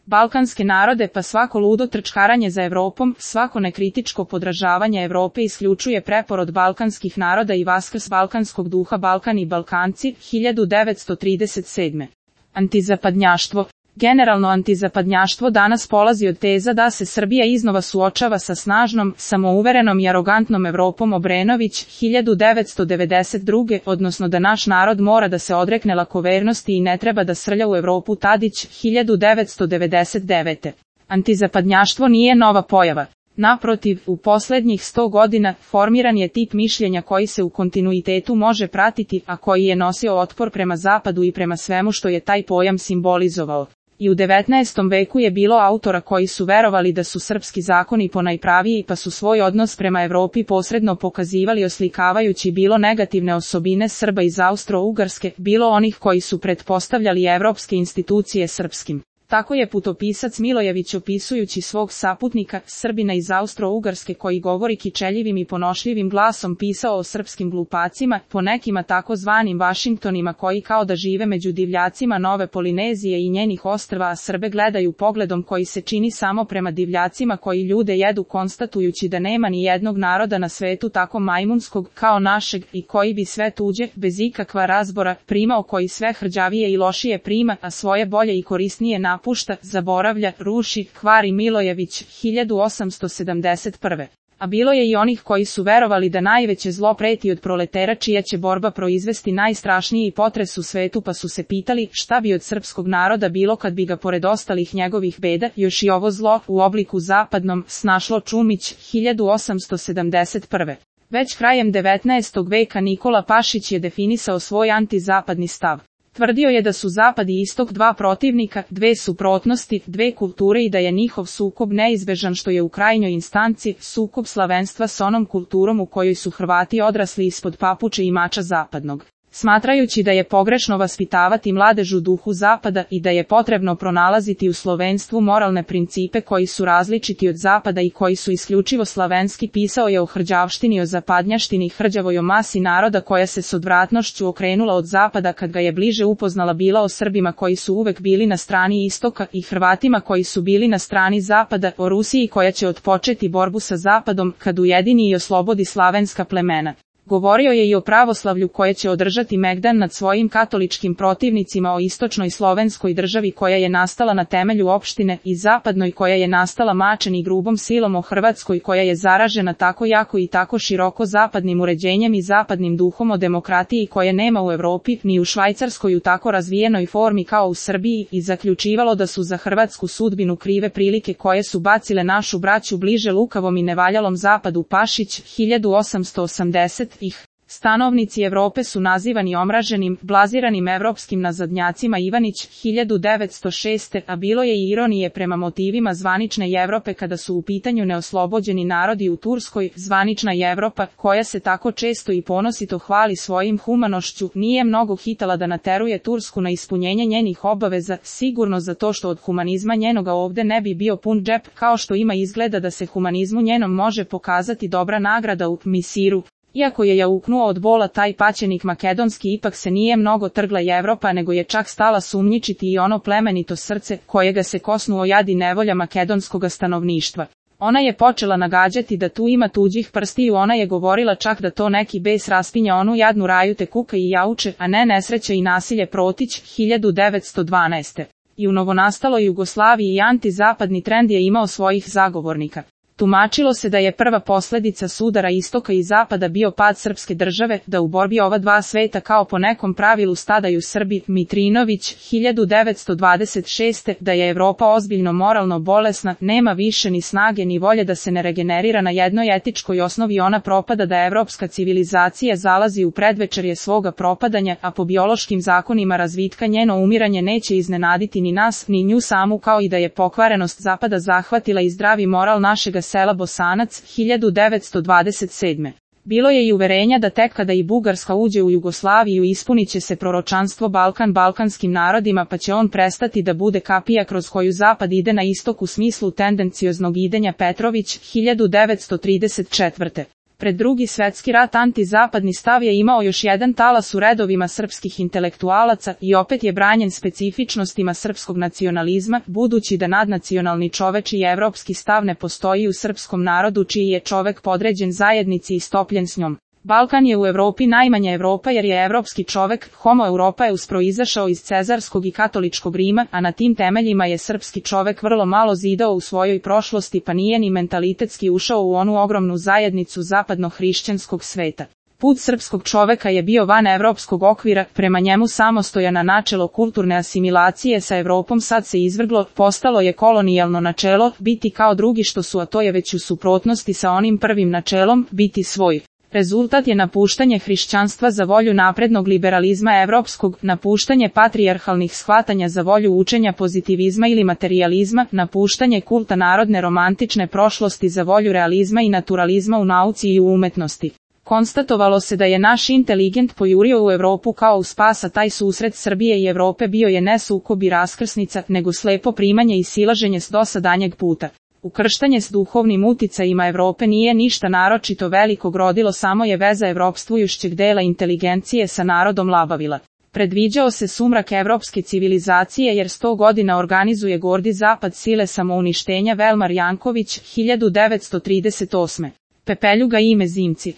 balkanske narode pa svako ludo trčkaranje za Evropom, svako nekritičko podražavanje Evrope isključuje preporod balkanskih naroda i vaskrs balkanskog duha Balkan i Balkanci, 1937. Antizapadnjaštvo. Generalno antizapadnjaštvo danas polazi od teza da se Srbija iznova suočava sa snažnom, samouverenom i arogantnom Evropom. Obrenović, 1992. odnosno da naš narod mora da se odrekne lakovernosti i ne treba da srlja u Evropu. Tadić, 1999. Antizapadnjaštvo nije nova pojava. Naprotiv, u poslednjih 100 godina formiran je tip mišljenja koji se u kontinuitetu može pratiti, a koji je nosio otpor prema zapadu i prema svemu što je taj pojam simbolizovao. I u 19. veku je bilo autora koji su verovali da su srpski zakoni ponajpraviji pa su svoj odnos prema Evropi posredno pokazivali oslikavajući bilo negativne osobine Srba iz Austro-Ugarske, bilo onih koji su pretpostavljali evropske institucije srpskim. Tako je putopisac Milojević opisujući svog saputnika, Srbina iz Austro-Ugarske koji govori kičeljivim i ponošljivim glasom pisao o srpskim glupacima, po nekima tako zvanim Vašingtonima koji kao da žive među divljacima Nove Polinezije i njenih ostrva, a Srbe gledaju pogledom koji se čini samo prema divljacima koji ljude jedu, konstatujući da nema ni jednog naroda na svetu tako majmunskog kao našeg i koji bi sve tuđe, bez ikakva razbora, primao, koji sve hrđavije i lošije prima, a svoje bolje i korisnije napušta, zaboravlja, ruši, kvari. Milojević, 1871. A bilo je i onih koji su verovali da najveće zlo preti od proletera čija će borba proizvesti najstrašniji potres u svetu, pa su se pitali šta bi od srpskog naroda bilo kad bi ga pored ostalih njegovih beda još i ovo zlo u obliku zapadnom snašlo. Čumić, 1871. Već krajem 19. veka Nikola Pašić je definisao svoj antizapadni stav. Tvrdio je da su zapad i istok dva protivnika, dve suprotnosti, dve kulture i da je njihov sukob neizbežan, što je u krajnjoj instanci sukob slavenstva s onom kulturom u kojoj su Hrvati odrasli ispod papuče i mača zapadnog. Smatrajući da je pogrešno vaspitavati mladež u duhu zapada i da je potrebno pronalaziti u slovenstvu moralne principe koji su različiti od zapada i koji su isključivo slavenski, pisao je o hrđavštini, o zapadnjaštini, hrđavoj o masi naroda koja se s odvratnošću okrenula od zapada kad ga je bliže upoznala, bila o Srbima koji su uvek bili na strani istoka i Hrvatima koji su bili na strani zapada, o Rusiji koja će otpočeti borbu sa zapadom kad ujedini i oslobodi slavenska plemena. Govorio je i o pravoslavlju koje će održati megdan nad svojim katoličkim protivnicima, o istočnoj slovenskoj državi koja je nastala na temelju opštine i zapadnoj koja je nastala mačem i grubom silom, o Hrvatskoj koja je zaražena tako jako i tako široko zapadnim uređenjem i zapadnim duhom, o demokratiji koje nema u Evropi ni u Švajcarskoj u tako razvijenoj formi kao u Srbiji, i zaključivalo da su za hrvatsku sudbinu krive prilike koje su bacile našu braću bliže lukavom i nevaljalom zapadu. Pašić, 1880. Stanovnici Evrope su nazivani omraženim, blaziranim evropskim nazadnjacima. Ivanić, 1906. A bilo je i ironije prema motivima zvanične Evrope kada su u pitanju neoslobođeni narodi u Turskoj. Zvanična Evropa, koja se tako često i ponosito hvali svojim humanošću, nije mnogo hitala da nateruje Tursku na ispunjenje njenih obaveza, sigurno zato što od humanizma njenoga ovde ne bi bio pun džep, kao što ima izgleda da se humanizmu njenom može pokazati dobra nagrada u Misiru. Iako je jauknuo od bola taj paćenik makedonski, ipak se nije mnogo trgla Evropa, nego je čak stala sumnjičiti i ono plemenito srce, kojega se kosnuo jad i nevolja makedonskoga stanovništva. Ona je počela nagađati da tu ima tuđih prstiju, ona je govorila čak da to neki bes raspinja onu jadnu raju te kuka i jauče, a ne nesreće i nasilje. Protić, 1912. I u novonastaloj Jugoslaviji i antizapadni trend je imao svojih zagovornika. Tumačilo se da je prva posledica sudara istoka i zapada bio pad srpske države, da u borbi ova dva sveta kao po nekom pravilu stadaju Srbi. Mitrinović, 1926. Da je Evropa ozbiljno moralno bolesna, nema više ni snage ni volje da se ne regenerira na jednoj etičkoj osnovi, ona propada, da evropska civilizacija zalazi u predvečerje svoga propadanja, a po biološkim zakonima razvitka njeno umiranje neće iznenaditi ni nas, ni nju samu, kao i da je pokvarenost zapada zahvatila i zdravi moral našega sela. Bosanac, 1927. Bilo je i uverenja da tek kada i Bugarska uđe u Jugoslaviju ispunit će se proročanstvo Balkan balkanskim narodima, pa će on prestati da bude kapija kroz koju zapad ide na istok u smislu tendencioznog idenja. Petrović, 1934. Pred Drugi svetski rat antizapadni stav je imao još jedan talas u redovima srpskih intelektualaca i opet je branjen specifičnostima srpskog nacionalizma, budući da nadnacionalni čoveč i evropski stav ne postoji u srpskom narodu čiji je čovek podređen zajednici i stopljen s njom. Balkan je u Evropi najmanja Evropa jer je evropski čovek, homo europaeus, proizašao iz cezarskog i katoličkog Rima, a na tim temeljima je srpski čovek vrlo malo zidao u svojoj prošlosti pa nije ni mentalitetski ušao u onu ogromnu zajednicu zapadno-hrišćanskog sveta. Put srpskog čoveka je bio van evropskog okvira, prema njemu samostojana načelo kulturne asimilacije sa Evropom sad se izvrglo, postalo je kolonijalno načelo, biti kao drugi što su, a to je već u suprotnosti sa onim prvim načelom, biti svoj. Rezultat je napuštanje hrišćanstva za volju naprednog liberalizma evropskog, napuštanje patrijarhalnih shvatanja za volju učenja pozitivizma ili materijalizma, napuštanje kulta narodne romantične prošlosti za volju realizma i naturalizma u nauci i u umetnosti. Konstatovalo se da je naš inteligent pojurio u Evropu kao u spas, a taj susret Srbije i Evrope bio je ne sukob i raskrsnica, nego slepo primanje i silaženje s dosadanjeg puta. Ukrštanje s duhovnim uticajima Evrope nije ništa naročito velikog rodilo, samo je veza evropstvujušćeg dela inteligencije sa narodom labavila. Predviđao se sumrak evropske civilizacije jer 100 godina organizuje gordi zapad sile samouništenja. Velmar Janković, 1938. Pepeljuga ime Zimci.